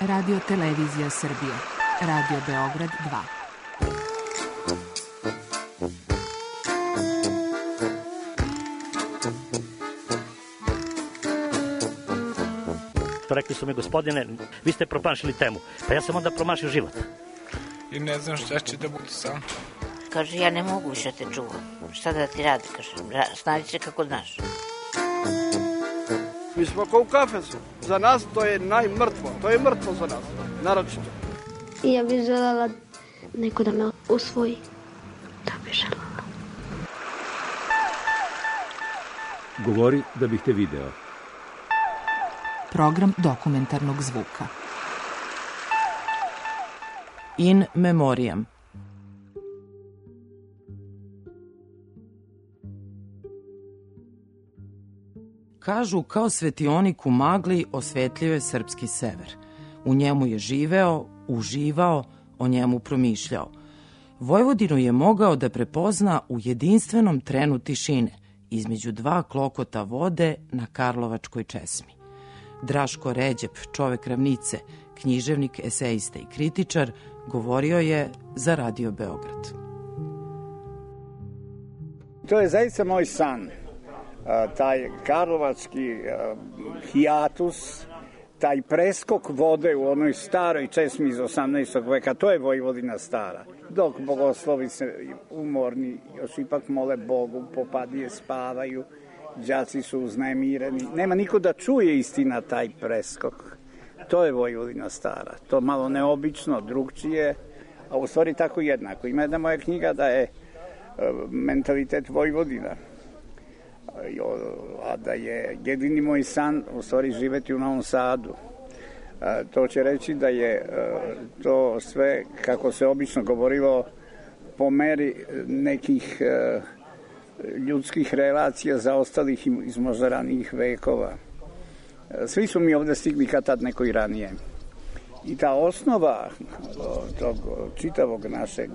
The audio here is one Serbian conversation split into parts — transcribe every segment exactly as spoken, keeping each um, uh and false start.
Radio Televizija Srbije, Radio Beograd dva. Rekli su mi, gospodine, vi ste promašili temu. Pa ja sam onda promašio život. I ne znam šta će da bude sam. Kaže, ja ne mogu više te čuvam. Šta da ti radi, kaže, snađi se kako znaš. Mi smo kao u kafesu. Za nas to je najmrtvo. To je mrtvo za nas, naročito. I ja bih želela neko da me usvoji. Da bih želela. Govori da bih te video. Program dokumentarnog zvuka. In memoriam. Kažu, kao svetionik u magli osvetljuje srpski sever. U njemu je živeo, uživao, o njemu promišljao. Vojvodinu je mogao da prepozna u jedinstvenom trenu tišine, između dva klokota vode na Karlovačkoj česmi. Draško Ređep, čovek ravnice, književnik, esejista i kritičar, govorio je za Radio Beograd. To je zaista moj san. Taj karlovački hijatus, taj preskok vode u onoj staroj česmi iz osamnaestog veka, to je Vojvodina stara. Dok bogoslovi se umorni, još ipak mole Bogu, popadije spavaju, đaci su uznemireni. Nema niko da čuje istina taj preskok. To je Vojvodina stara. To malo neobično, drugčije, a u stvari tako jednako. Ima jedna moja knjiga da je mentalitet Vojvodina. A da je jedini moj san u stvari živeti u Novom Sadu. To će reći da je to sve, kako se obično govorilo, po meri nekih ljudskih relacija zaostalih iz možda ranijih vekova. Svi su mi ovde stigli kad tad neko i ranije. I ta osnova tog čitavog našeg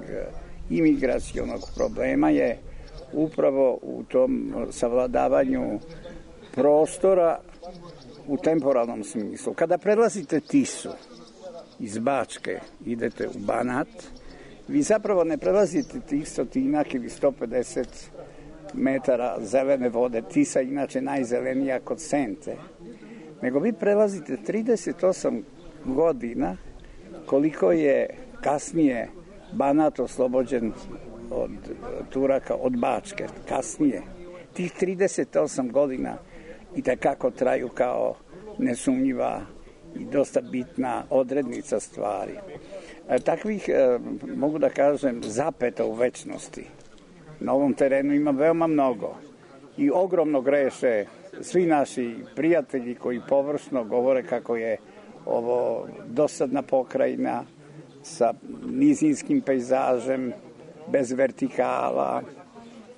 imigracionog problema je upravo u tom savladavanju prostora u temporalnom smislu. Kada prelazite Tisu iz Bačke, idete u Banat, vi zapravo ne prelazite tih stotinak ili sto pedeset metara zelene vode, Tisa inače najzelenija kod Sente, nego vi prelazite trideset osam godina koliko je kasnije Banat oslobođen od Turaka, od Bačke, kasnije. Tih trideset osam godina i takako traju kao nesumnjiva i dosta bitna odrednica stvari. E, takvih, e, mogu da kažem, zapeta u večnosti na ovom terenu ima veoma mnogo i ogromno greše svi naši prijatelji koji površno govore kako je ovo dosadna pokrajina sa nizinskim pejzažem, bez vertikala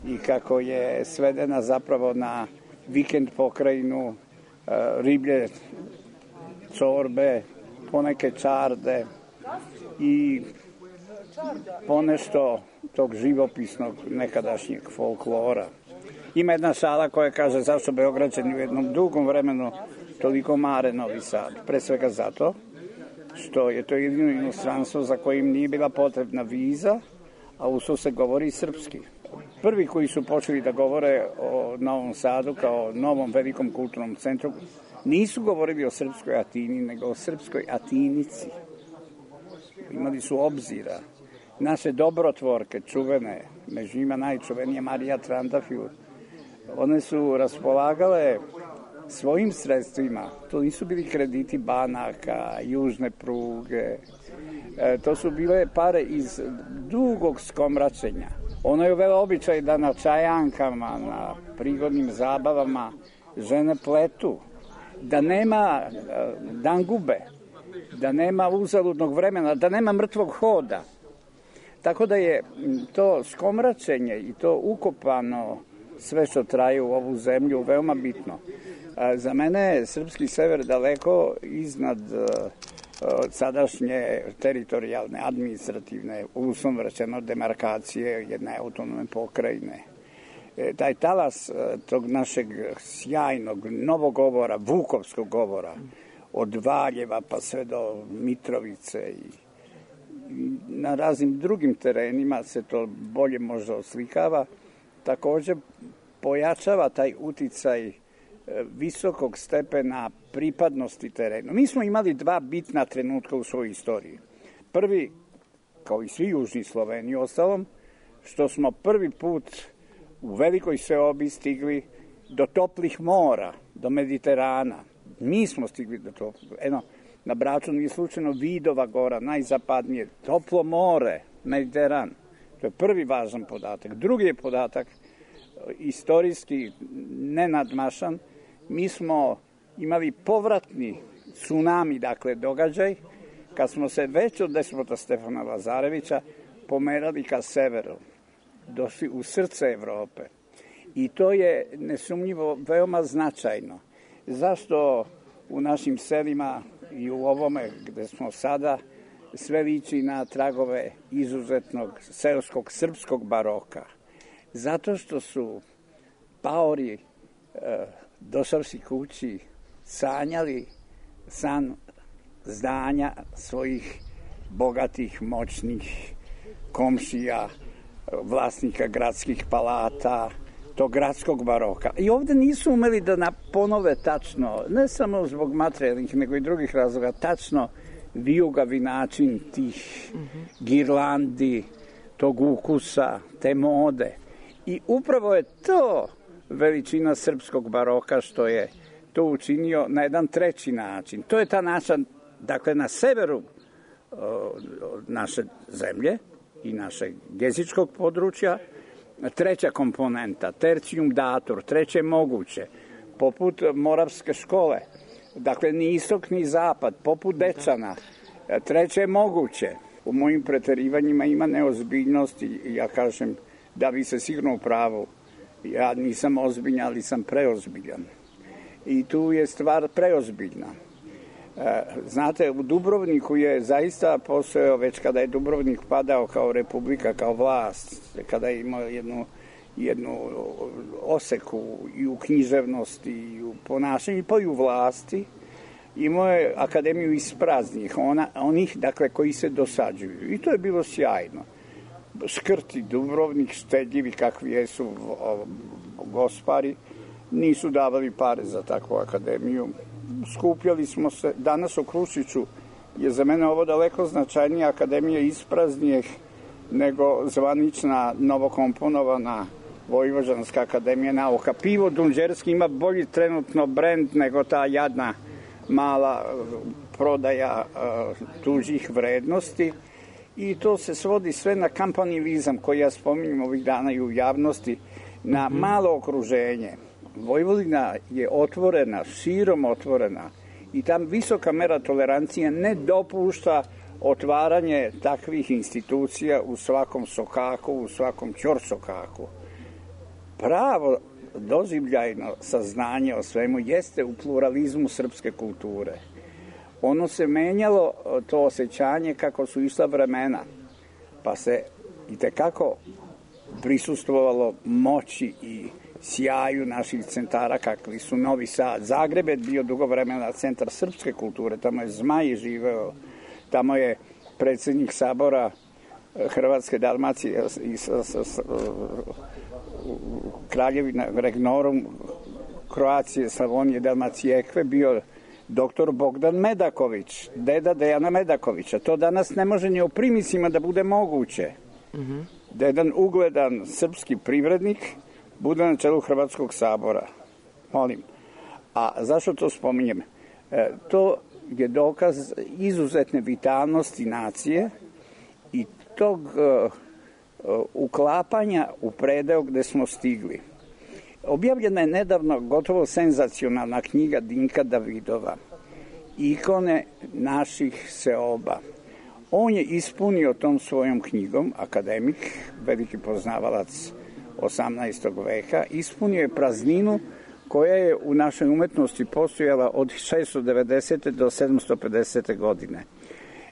i kako je svedena zapravo na vikend pokrajinu, riblje čorbe, poneke čarde i ponešto tog živopisnog nekadašnjeg folklora. Ima jedna šala koja kaže zašto Beograđani u jednom dugom vremenu toliko mare Novi Sad. Pre svega zato što je to jedino inostranstvo za kojim nije bila potrebna viza, a usto se govori srpski. Prvi koji su počeli da govore o Novom Sadu kao novom velikom kulturnom centru nisu govorili o srpskoj Atini, nego o srpskoj Atinici. Imali su obzira. Naše dobrotvorke, čuvene, među njima najčuvenija Marija Trandafil, one su raspolagale svojim sredstvima. To nisu bili krediti banaka, južne pruge. E, to su bile pare iz dugog skomračenja. Ono je uvela običaj da na čajankama, na prigodnim zabavama žene pletu, da nema e, dangube, da nema uzaludnog vremena, da nema mrtvog hoda. Tako da je to skomračenje i to ukopano sve što traje u ovu zemlju veoma bitno. Za mene je srpski sever daleko iznad sadašnje teritorijalne, administrativne, uslovno rečeno demarkacije jedne autonomne pokrajine. Taj talas tog našeg sjajnog novog govora, vukovskog govora, od Valjeva pa sve do Mitrovice i, i na raznim drugim terenima se to bolje možda oslikava. Također pojačava taj uticaj visokog stepena pripadnosti terenu. Mi smo imali dva bitna trenutka u svojoj istoriji. Prvi, kao i svi južni Sloveni ostalom, što smo prvi put u velikoj seobi stigli do toplih mora, do Mediterana. Mi smo stigli do toplih. Eno, na Braču nije slučajno Vidova gora, najzapadnije, toplo more, Mediteran. To je prvi važan podatak. Drugi je podatak, istorijski nenadmašan, mi smo imali povratni tsunami, dakle događaj, kad smo se već od despota Stefana Lazarevića pomerali ka severu, došli u srce Evrope. I to je nesumnjivo veoma značajno. Zašto u našim selima i u ovome gde smo sada sve liči na tragove izuzetnog seoskog srpskog baroka? Zato što su paori e, došavši kući sanjali san zdanja svojih bogatih, moćnih komšija, vlasnika gradskih palata, tog gradskog baroka. I ovde nisu umeli da ponove tačno, ne samo zbog materijalnih, nego i drugih razloga, tačno vijugavi način tih girlandi, tog ukusa, te mode. I upravo je to veličina srpskog baroka što je to učinio na jedan treći način. To je ta naša, dakle na severu uh, naše zemlje i našeg jezičkog područja, treća komponenta, tercium datur, treće moguće, poput Moravske škole, dakle ni istok ni zapad, poput Dečana, treće moguće. U mojim preterivanjima ima neozbiljnosti i ja kažem da bi se sigurno u pravu. Ja nisam ozbiljan, ali sam preozbiljan. I tu je stvar preozbiljna. Znate, u Dubrovniku je zaista postojao, već kada je Dubrovnik padao kao republika, kao vlast, kada je imao jednu, jednu oseku i u književnosti, i u ponašanju, pa i u vlasti, imao je akademiju ispraznih, ona, onih, dakle, koji se dosađuju. I to je bilo sjajno. Škrti Dubrovnik, štedljivi kakvi jesu gospari, nisu davali pare za takvu akademiju. Skupljali smo se, danas u Krušiću je za mene ovo daleko značajnija akademija ispraznijih nego zvanična novokomponovana Vojvođanska akademija nauka. Pivo Dunđerski ima bolji trenutno brend nego ta jadna mala prodaja uh, tuđih vrednosti i to se svodi sve na kampanilizam koji ja spominjem ovih dana i u javnosti, na mm-hmm. malo okruženje. Vojvodina je otvorena, širom otvorena i tam visoka mera tolerancije ne dopušta otvaranje takvih institucija u svakom sokaku, u svakom ćorsokaku. Pravo doživljajno saznanje o svemu jeste u pluralizmu srpske kulture. Ono se menjalo, to osjećanje, kako su išla vremena, pa se i tekako prisustvovalo moći i sjaju naših centara kakvi su Novi Sad. Zagreb je bio dugo vremena centar srpske kulture, tamo je Zmaj živeo, tamo je predsjednik sabora Hrvatske Dalmacije i Kraljevina Regnorum Kroacije, Slavonije, Dalmacijekve bio doktor Bogdan Medaković, deda Dejana Medakovića. To danas ne može ni u primisima da bude moguće. Mm-hmm. Da jedan ugledan srpski privrednik bude na čelu Hrvatskog sabora. Molim. A zašto to spominjem? E, to je dokaz izuzetne vitalnosti nacije i tog e, uklapanja u predeo gde smo stigli. Objavljena je nedavno gotovo senzacionalna knjiga Dinka Davidova, Ikone naših seoba. On je ispunio tom svojom knjigom, akademik, veliki poznavalac osamnaestog veka, ispunio je prazninu koja je u našoj umetnosti postojala od šesto devedesete do sedamsto pedesete godine.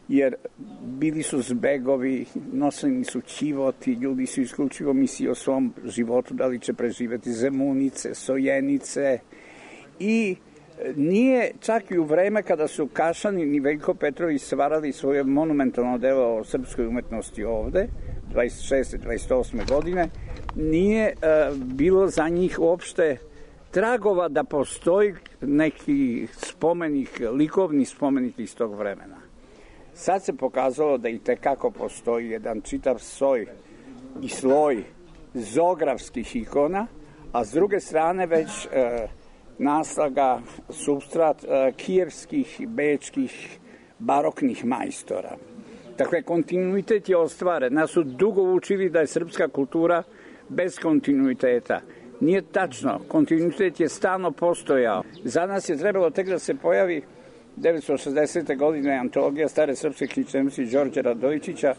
Jer bili su zbegovi, noseni su ćivoti, ljudi su isključivo mislili o svom životu, da li će preživeti Zemunice, Sojenice i Nije čak i u vreme kada su Kašanin i Veljko Petrović stvarali svoje monumentalno delo o srpskoj umetnosti ovde, dvadeset šeste dvadeset osme godine, nije uh, bilo za njih uopšte tragova da postoji neki spomenik, likovni spomenik iz tog vremena. Sad se pokazalo da i tekako postoji jedan čitav soj i sloj zoografskih ikona, a s druge strane već uh, naslaga, substrat uh, kijevskih, bečkih, baroknih majstora. Dakle, kontinuitet je ostvaren. Nas su dugo učili da je srpska kultura bez kontinuiteta. Nije tačno. Kontinuitet je stalno postojao. Za nas je trebalo tek da se pojavi devetsto šezdesete godine antologija stare srpske književnosti Đorđa Radojičića,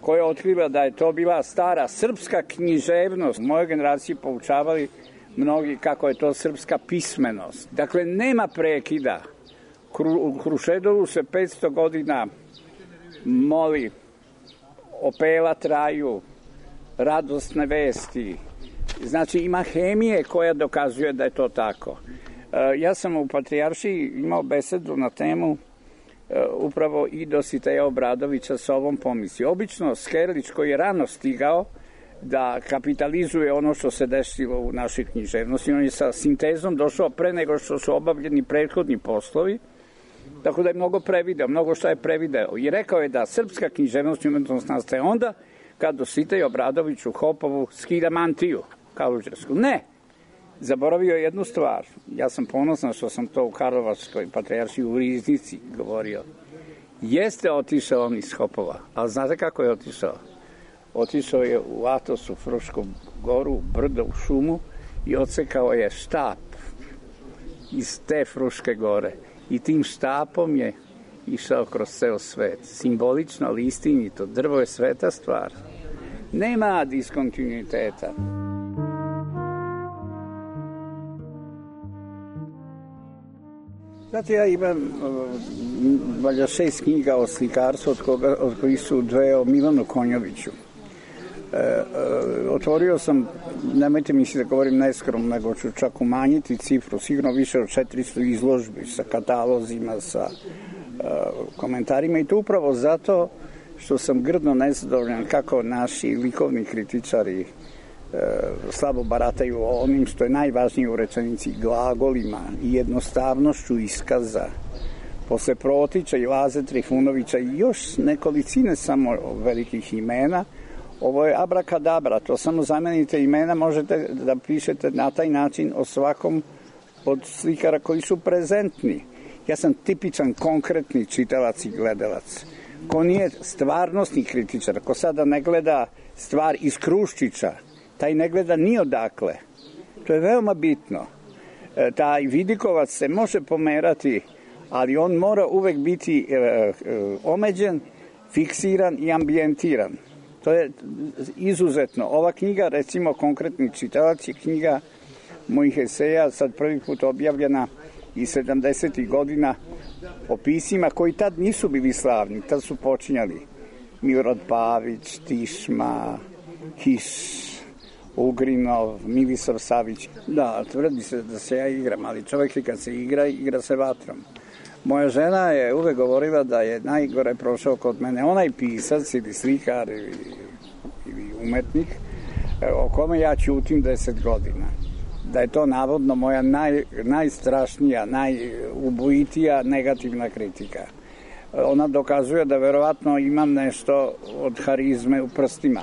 koja je otkriva da je to bila stara srpska književnost. U mojoj generaciji poučavali mnogi kako je to srpska pismenost. Dakle, nema prekida. U Krušedolu se petsto godina moli, opela traju, radosne vesti. Znači, ima hemije koja dokazuje da je to tako. Ja sam u Patrijaršiji imao besedu na temu upravo i Dositeja Obradovića sa ovom pomisli. Obično Skerlić, koji je rano stigao da kapitalizuje ono što se desilo u našoj književnosti, on je sa sintezom došao pre nego što su obavljeni prethodni poslovi, tako da je mnogo prevideo, mnogo što je prevideo. I rekao je da srpska književnost i umetnost nastaje onda kad Dositej Obradović u Hopovu skida mantiju kaluđersku. Ne! Zaboravio je jednu stvar. Ja sam ponosan što sam to u Karlovačkoj Patrijaršiji u Riznici govorio. Jeste otišao on iz Hopova, ali znate kako je otišao? Otišao je u Atos, u Frušku goru, brdo, u šumu i odsekao je štap iz te Fruške gore. I tim štapom je išao kroz ceo svet. Simbolično, ali istinito. Drvo je sveta stvar. Nema diskontinuiteta. Znate, ja imam valjda šest knjiga o slikarstvu, od, koga, od kojih su dve o Milanu Konjoviću. E, e, otvorio sam, nemojte misli da govorim neskromno, nego ću čak umanjiti cifru, sigurno više od četiristo izložbi sa katalozima, sa e, komentarima, i to upravo zato što sam grdno nezadovoljan kako naši likovni kritičari e, slabo barataju onim što je najvažnije u rečenici, glagolima i jednostavnošću iskaza. Posle Protića i Laze Trifunovića i još nekolicine samo velikih imena, ovo je abrakadabra, to samo zamenite imena, možete da pišete na taj način o svakom od slikara koji su prezentni. Ja sam tipičan konkretni čitalac i gledalac. Ko nije stvarnostni kritičar, ko sada ne gleda stvar iz Kruščića, taj ne gleda ni odakle. To je veoma bitno. E, taj vidikovac se može pomerati, ali on mora uvek biti e, e, omeđen, fiksiran i ambijentiran. To je izuzetno. Ova knjiga, recimo konkretni čitalac, je knjiga mojih eseja, sad prvi put objavljena iz sedamdesetih godina, o pisima koji tad nisu bili slavni. Tad su počinjali Milorad Pavić, Tišma, Hiš, Ugrinov, Milisav Savić. Da, tvrdi se da se ja igram, ali čovjek kad se igra, igra se vatrom. Moja žena je uvek govorila da je najgore prošao kod mene onaj pisac ili slikar ili, ili umetnik o kome ja ćutim deset godina. Da je to navodno moja naj, najstrašnija, najubojitija negativna kritika. Ona dokazuje da verovatno imam nešto od harizme u prstima.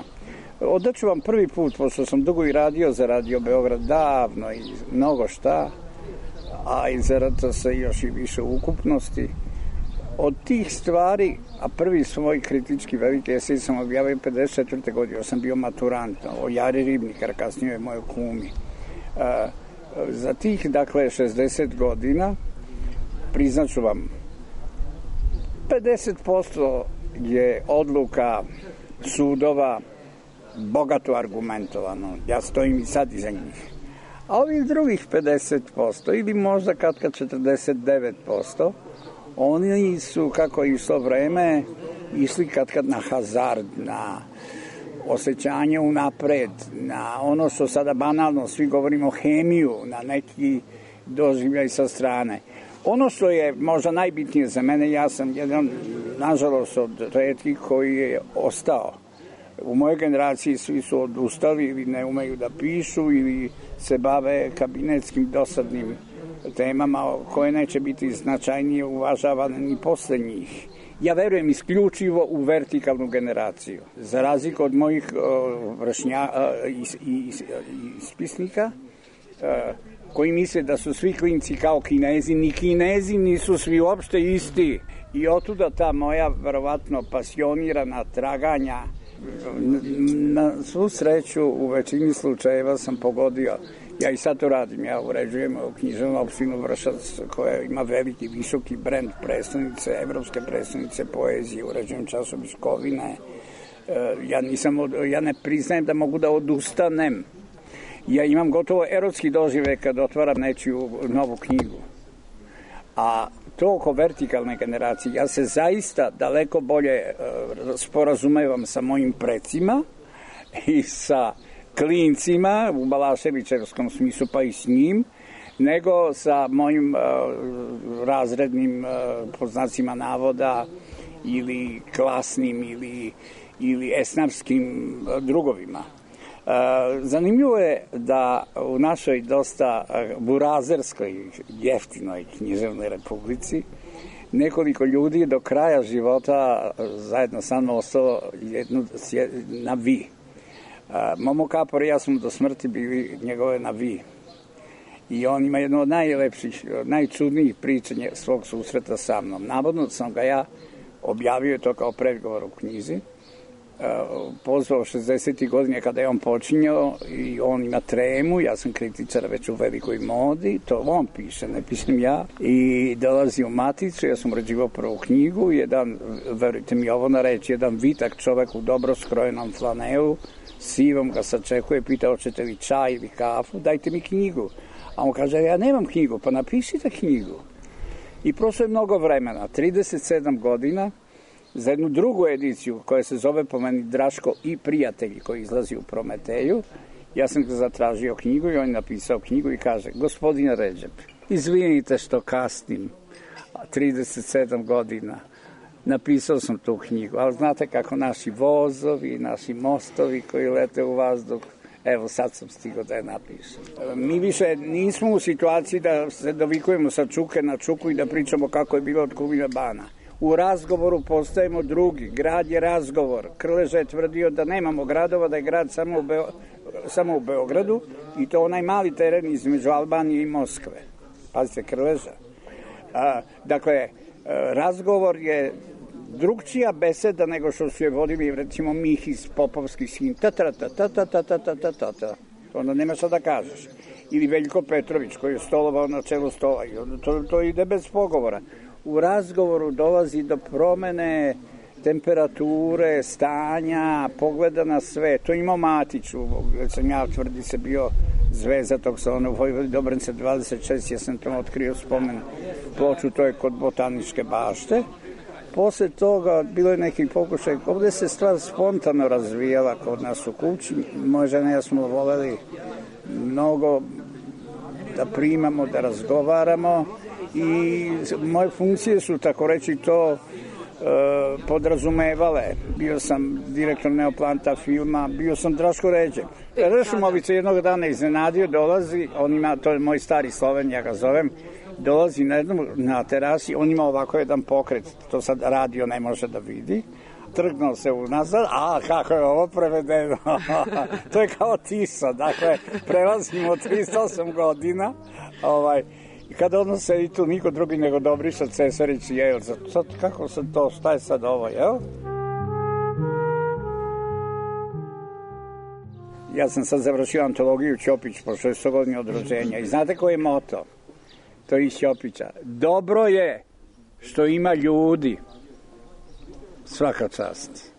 Odaću vam prvi put, pošto sam dugo i radio za Radio Beograd, davno i mnogo šta, a i za R T S još i više ukupnosti. Od tih stvari, a prvi svoj kritički veliki esej sam objavio pedeset četvrte godine, ja sam bio maturant, o Jari Ribnikar, kasnije je moj kumi. E, za tih, dakle, šezdeset godina, priznaću vam, pedeset posto je odluka sudova bogato argumentovano. Ja stojim i sad iza njih. A ovih drugih pedeset posto ili možda katka četrdeset devet posto, oni su, kako je išlo vreme, išli katkad na hazard, na osjećanje unapred, na ono što sada banalno svi govorimo, hemiju, na neki doživljaj sa strane. Ono što je možda najbitnije za mene, ja sam jedan, nažalost, od retkih koji je ostao. U mojoj generaciji svi su odustali ili ne umeju da pišu ili se bave kabinetskim dosadnim temama koje neće biti značajnije uvažavane ni posle njih. Ja verujem isključivo u vertikalnu generaciju. Za razliku od mojih uh, vršnja, uh, ispisnika, uh, koji misle da su svi klinci kao Kinezi, ni Kinezi nisu svi uopšte isti. I otuda ta moja, verovatno, pasionirana traganja. Na svu sreću, u većini slučajeva sam pogodio. Ja i sad to radim, ja uređujem književnu opštinu Vršac koja ima veliki, visoki brend predstavnice, evropske predstavnice poezije, uređujem časopis Kovine. Ja, nisam, ja ne priznajem da mogu da odustanem. Ja imam gotovo erotski doživljaj kad otvaram nečiju novu knjigu. A to oko vertikalne generacije, ja se zaista daleko bolje sporazumevam sa mojim precima i sa klincima u Balaševićevskom smislu, pa i s njim, nego sa mojim uh, razrednim uh, poznacima navoda ili klasnim ili, ili esnavskim uh, drugovima. Uh, zanimljivo je da u našoj dosta uh, burazerskoj, jeftinoj književnoj republici nekoliko ljudi do kraja života uh, zajedno sa mnom ostalo jednu, na vi. Uh, Momo Kapor i ja smo do smrti bili njegove na vi. I on ima jedno od najlepših, najčudnijih pričanja svog susreta sa mnom. Navodno sam ga ja objavio to kao predgovor u knjizi. Uh, pozvao šezdesetih godine kada je on počinjao i on ima tremu, ja sam kritičar već u velikoj modi, to on piše, ne pišem ja, i dolazi u Maticu, ja sam uređivao prvu knjigu, jedan, verujte mi ovo na reći, jedan vitak čovek u dobro skrojenom flanelu, sivom ga sačekuje, pita hoćete li čaj ili kafu, dajte mi knjigu. A on kaže, ja nemam knjigu, pa napišite knjigu. I prošlo je mnogo vremena, trideset sedam godina, za jednu drugu ediciju koja se zove po meni Draško i prijatelji, koji izlazi u Prometeju. Ja sam ga zatražio knjigu i on je napisao knjigu i kaže, gospodine Redžep, izvinite što kasnim, trideset sedam godina, napisao sam tu knjigu, ali znate kako naši vozovi, naši mostovi koji lete u vazduh, evo sad sam stigao da je napišem. Mi više nismo u situaciji da se dovikujemo sa čuke na čuku i da pričamo kako je bilo od Kulina Bana. U razgovoru postajemo drugi. Grad je razgovor. Krleža je tvrdio da nemamo gradova, da je grad samo u, Beo, samo u Beogradu i to onaj mali teren između Albanije i Moskve. Pazite, Krleža. A, dakle, razgovor je drugčija beseda nego što su je vodili, recimo, Mihis, Popovski sin. Ta, ta, ta, ta, ta, ta, ta, ta, ta, ta, ta. Onda nema šta da kažeš. Ili Veljko Petrović koji je stolovao na čelu stola. I onda to, to ide bez pogovora. U razgovoru dolazi do promene temperature, stanja, pogleda na sve. To ima Matiću, gde sam ja tvrdi se bio zvezda tog salona u Vojvodi Dobrance dvadeset šest, ja sam tamo otkrio spomen ploču, to je kod Botaničke bašte. Posle toga bilo je neki pokušaj, ovde se stvar spontano razvijala kod nas u kući. Moja žena i ja smo voleli mnogo da primamo, da razgovaramo i moje funkcije su, tako reći, to e, podrazumevale. Bio sam direktor Neoplanta filma, bio sam Draško Redžep. Rešumovica jednog dana iznenadio, dolazi, on ima, to je moj stari Sloven, ja ga zovem, dolazi na jednom, na terasi, on ima ovako jedan pokret, to sad radio ne može da vidi, trgnuo se unazad, a kako je ovo prevedeno, to je kao Tisa, dakle, prelazimo tristo osam godina, ovaj, i kada ono sedi tu niko drugi nego Dobriša Cesarić i Jejl, sad kako se to, šta je sad ovo, jel? Ja sam sad završio antologiju Ćopić po šesto godini od rođenja i znate koji je moto? To je iz Ćopića. Dobro je što ima ljudi. Svaka čast.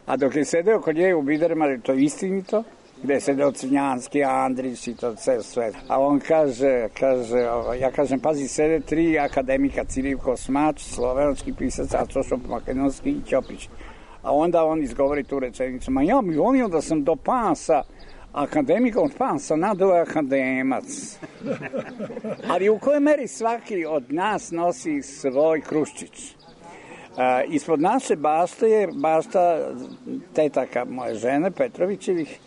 A dok je sedeo kod nje u Bidermari, to je istinito, gde je sedeo Crnjanski, Andrić i to sve sve. A on kaže, kaže, ja kažem, pazi, sede tri akademika, Cirivko Smač, slovenački pisac, a Čošop Makedonski i Ćopić. A onda on izgovori tu rečenicu, ma ja mi volio da sam do pasa, akademikom, pa sam nadao akademac. Ali u kojoj meri svaki od nas nosi svoj kruščić. A, ispod naše bašte je bašta tetaka moje žene, Petrovićevih,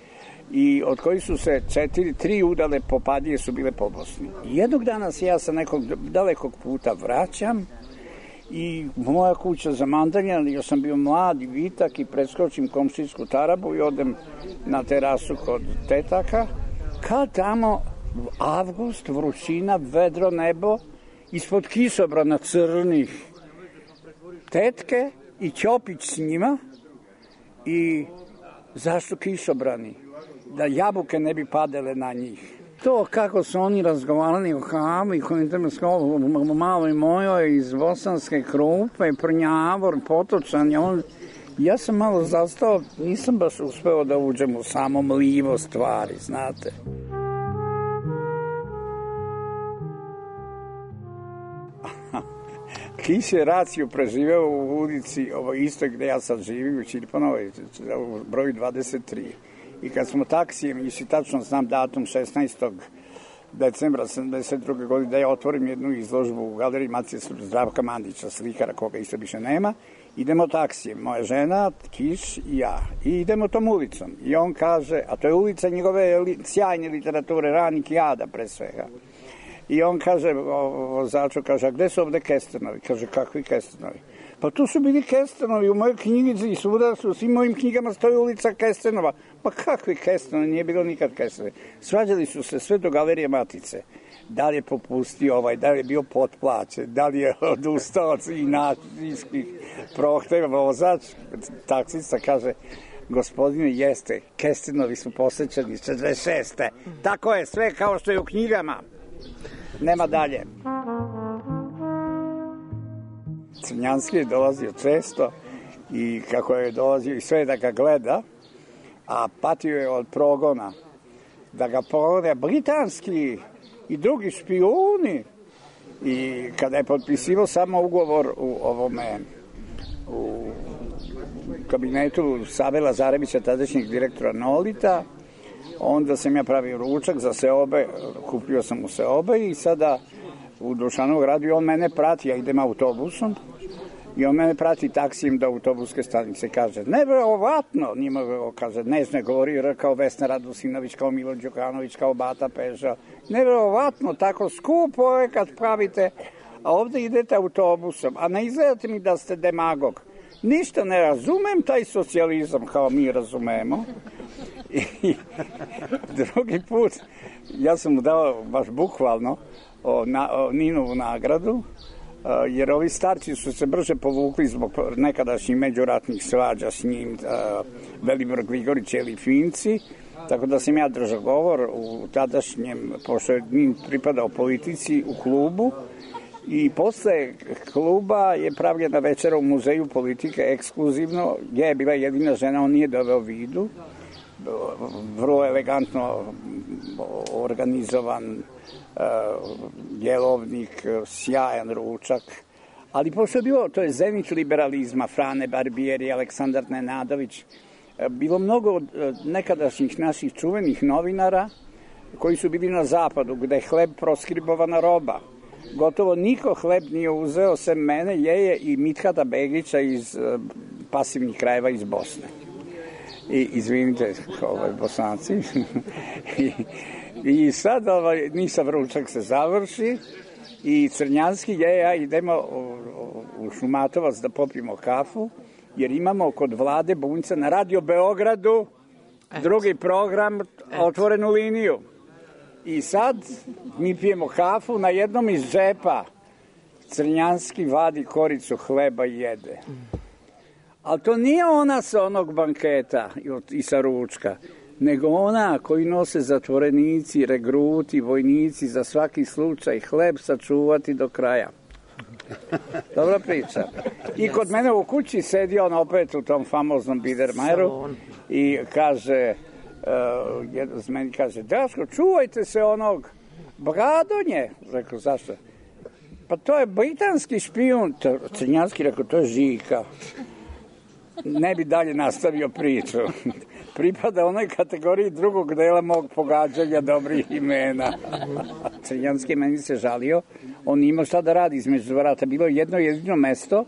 i od kojih su se četiri, tri udale popadije su bile po Bosni. I jednog dana se ja sa nekog dalekog puta vraćam i moja kuća za mandanja, još sam bio mlad i vitak i preskočim komšijsku tarabu i odem na terasu kod tetaka, kad tamo avgust, vrućina, vedro nebo, ispod kišobrana crnih, tetke i Ćopić s njima. I zašto kišobrani? Da jabuke ne bi padale na njih. To kako su oni razgovarali o kavu i o maloj mojoj iz bosanske Krupe, Prnjavor, Potočan, on, ja sam malo zastao, nisam baš uspeo da uđem u samo mlivo stvari, znate. Kiš je raciju preživeo u ulici, ovo isto gde ja sad živim, u Čirpanovoj, u broju dvadeset tri. I kad smo taksijem, išli tačno znam datum šesnaestog decembra sedamdeset druge godine, da ja otvorim jednu izložbu u galeriji Matije Zdravka Mandića, slikara koga isto više nema, idemo taksijem, moja žena, Kiš i ja. I idemo tom ulicom. I on kaže, a to je ulica njegove sjajne literature, Ranik i Ada pre svega. I on kaže, vozaču, kaže, a gde su ovde Kesternovi? Kaže, kakvi Kesternovi? Pa tu su bili Kesternovi, u mojoj knjigici i svuda su, u svim mojim knjigama stoji ulica Kesternova. Pa kakvi Kesternovi? Nije bilo nikad Kesternovi. Svađali su se sve do galerije Matice. Da li je popustio ovaj, da li je bio potplaćen, da li je odustao od inačijskih prohteva. Vozač, taksista, kaže, gospodine, jeste, Kesternovi su posvećeni četrdeset šeste. Tako je, sve kao što je u knjigama. Nema dalje. Crnjanski je dolazio često i kako je dolazio i sve da ga gleda, a patio je od progona, da ga progone britanski i drugi špijuni. I kada je potpisivao samo ugovor u ovome, u kabinetu Save Lazarevića, tadašnjeg direktora Nolita, onda sam ja pravio ručak za Seobe, kupio sam u Seobe i sada u Dušanov gradu i on mene prati, ja idem autobusom i on mene prati taksijem do autobuske stanice. Kaže, nevjerovatno, njima kaže, nežno je govorio kao Vesna Radosinović, kao Milo Đukanović, kao Bata Peža. Nevjerovatno, tako skupo je kad pravite, a ovde idete autobusom, a ne izgledate mi da ste demagog. Ništa ne razumem taj socijalizam kao mi razumemo. I drugi put, ja sam mu dao baš bukvalno o, na, o Ninovu nagradu, a, jer ovi starci su se brže povukli zbog nekadašnjih međuratnih svađa s njim, a, Velibor Grigorić ili Finci, tako da sam ja držao govor u tadašnjem, pošto je Nin pripadao politici, u klubu. I posle kluba je pravljena večera u muzeju politike ekskluzivno, gdje je bila jedina žena, on nije doveo vidu, vrlo elegantno organizovan uh, jelovnik, sjajan ručak, ali pošto je bilo, to je zenit liberalizma, Frane Barbieri, Aleksandar Nenadović, bilo mnogo uh, nekadašnjih naših čuvenih novinara koji su bili na zapadu, gde je hleb proskribovana roba. Gotovo niko hleb nije uzeo, sem mene, Jeje i Mithata Begića iz uh, pasivnih krajeva iz Bosne. I, izvinite, ovaj, Bosanci. I, I sad ovaj, Nisa Vručak se završi i Crnjanski je, ja idemo u, u Šumatovac da popijemo kafu, jer imamo kod Vlade Bunjca na Radio Beogradu drugi program, otvorenu liniju. I sad mi pijemo kafu, na jednom iz džepa Crnjanski vadi koricu hleba i jede. Ali to nije ona sa onog banketa i sa ručka, nego ona koji nose zatvorenici, regruti, vojnici za svaki slučaj hleb sačuvati do kraja. Dobra priča. I kod mene u kući sedi on opet u tom famoznom Biedermajeru i kaže, uh, jedan z meni kaže, Daško, čuvajte se onog Bradonje. Rekao, zašto? Pa to je britanski špijun. Crnjanski rekao, to je Žika. Ne bi dalje nastavio priču. pripada onoj kategoriji drugog dela mog pogađanja dobrih imena. Crnjanski meni se žalio, on imao šta da radi između vrata. Bilo je jedno jedino mesto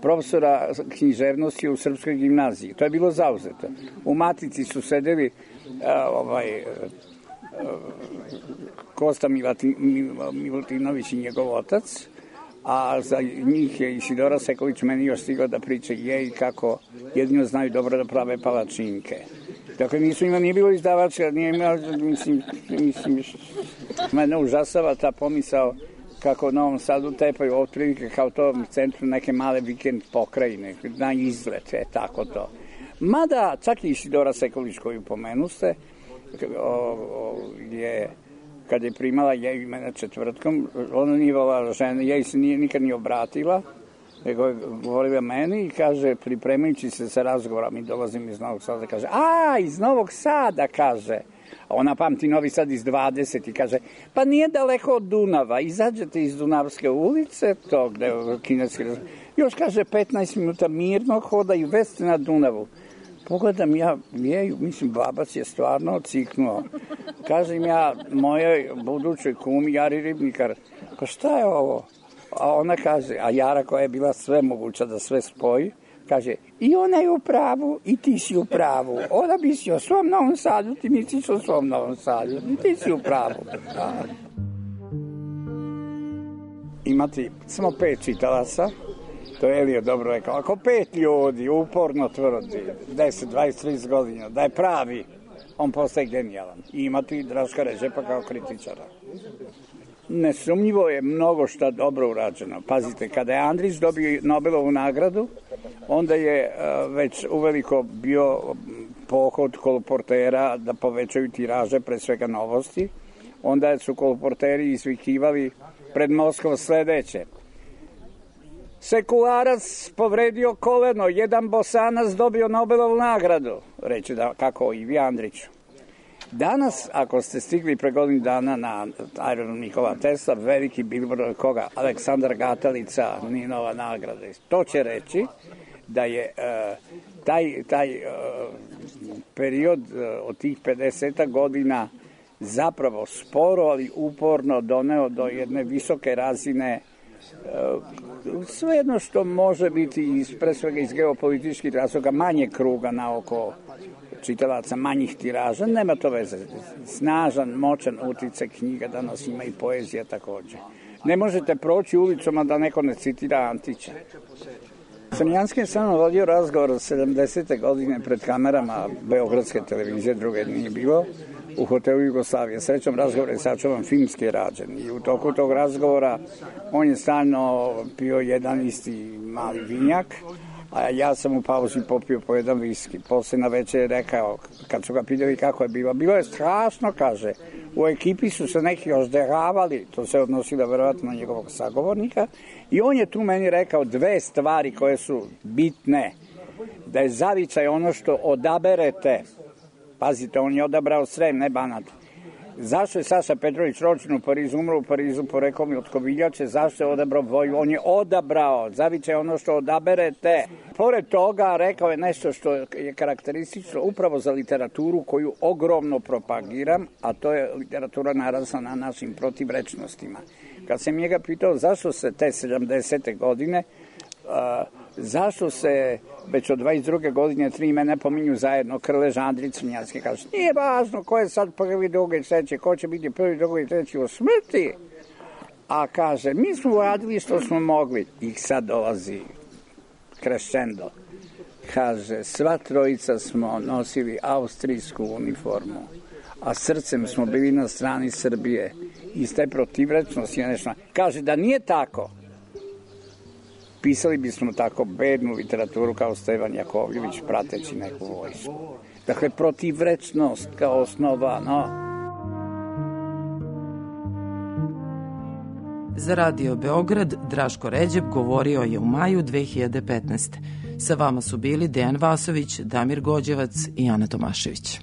profesora književnosti u Srpskoj gimnaziji. To je bilo zauzeto. U Matici su sedeli a, ovaj, a, Kosta Milati, Milutinović i njegov otac, a za njih je Isidora Sekulić meni još stigao da priče je i kako jedino znaju dobro da prave palačinke. Dakle, nisu ima, nije bilo izdavača, nije imao, mislim, mislim, mene užasava ta pomisao kako u Novom Sadu tepaju otprilike kao to u centru neke male vikend pokrajine, na izlet, je tako to. Mada, čak i Isidora Sekulić koju pomenuste, o, o, je... kad je primala jej imena četvrtkom, ona nije volala žene, jej se nije, nikad nije obratila, nego je govorila meni i kaže, pripremajući se sa razgovora, mi dolazim iz Novog Sada, kaže, a, iz Novog Sada, kaže, a ona pamti Novi Sad iz dvadeset i kaže, pa nije daleko od Dunava, izađete iz Dunavske ulice, to gde je kineski razgovor, još kaže, petnaest minuta mirnog hoda i već ste na Dunavu. Pogledam ja jeju, mislim, babac je stvarno ociknuo. Kažem ja mojoj budućoj kumi, Jari Ribnikar, ka šta je ovo? A ona kaže, a Jara koja je bila sve moguća da sve spoji, kaže, i ona je u pravu, i ti si u pravu. Ona bi si o svom Novom Sadu, ti misliš o svom Novom Sadu, i ti si u pravu. A. Imati samo pet čitalaca, to je Elio dobro rekao, ako pet ljudi uporno tvrdi, deset, dvadeset, trideset godina, da je pravi, on postaje genijalan. I imati Draška Ređepa kao kritičara. Nesumnjivo je mnogo šta dobro urađeno. Pazite, kada je Andrić dobio Nobelovu nagradu, onda je uh, već uveliko bio pohod koloportera da povećaju tiraže, pre svega Novosti. Onda su koloporteri izvikivali pred Moskvom sledeće. Sekularac povredio koleno, jedan Bosanac dobio Nobelovu nagradu, reći da kako Ivi Andriću. Danas, ako ste stigli pre godinu dana na aerodrom Nikola Tesla, veliki bilbord koga, Aleksandar Gatalica, Ninova nagrada. To će reći da je uh, taj, taj uh, period uh, od tih pedeset godina zapravo sporo, ali uporno doneo do jedne visoke razine uh, sve jedno što može biti iz, pre svega iz geopolitičkih razloga manje kruga na oko čitalaca, manjih tiraža, nema to veze. Snažan, moćan utice knjiga, danas ima i poezija takođe. Ne možete proći ulicom, a da neko ne citira Antića. Crnjanski je samo vodio razgovor od sedamdesete godine pred kamerama Beogradske televizije, druge nije bilo, u hotelu Jugoslavije. Srećom, razgovor je sačuvan filmski rađen i u toku tog razgovora on je stalno pio jedan isti mali vinjak, a ja sam u pauzi popio po jedan viski. Posle na večer je rekao, kad su ga pitali kako je bilo, bilo je strašno, kaže, u ekipi su se neki ozderavali, to se odnosilo verovatno na njegovog sagovornika, i on je tu meni rekao dve stvari koje su bitne, da je zavičaj ono što odaberete. Pazite, on je odabrao Srem, ne Banat. Zašto je Saša Petrović rođen u Parizu, umro u Parizu, porekao mi od Koviljače, zašto je odabrao Voju? On je odabrao, zavičaj ono što odaberete. Pored toga, rekao je nešto što je karakteristično upravo za literaturu koju ogromno propagiram, a to je literatura narasla na našim protivrečnostima. Kad sam njega pitao zašto se te sedamdesete godine, uh, zašto se već od dvadeset druge godine tri imena pominju zajedno, Krlež, Andrić, Crnjanski, kaže, nije važno ko je sad prvi, drugi i treći, ko će biti prvi, drugi i treći u smrti. A kaže, mi smo uradili što smo mogli. I sad dolazi crescendo. Kaže, sva trojica smo nosili austrijsku uniformu, a srcem smo bili na strani Srbije. Iz te protivrečnosti je nešto. Kaže, da nije tako, pisali bismo tako bednu literaturu kao Stevan Jakovljević prateći neku vojsku. Dakle, protivrečnost kao osnova, no. Za Radio Beograd Draško Ređep govorio je u maju dve hiljade petnaeste. Sa vama su bili Dejan Vasović, Damir Gođevac i Ana Tomašević.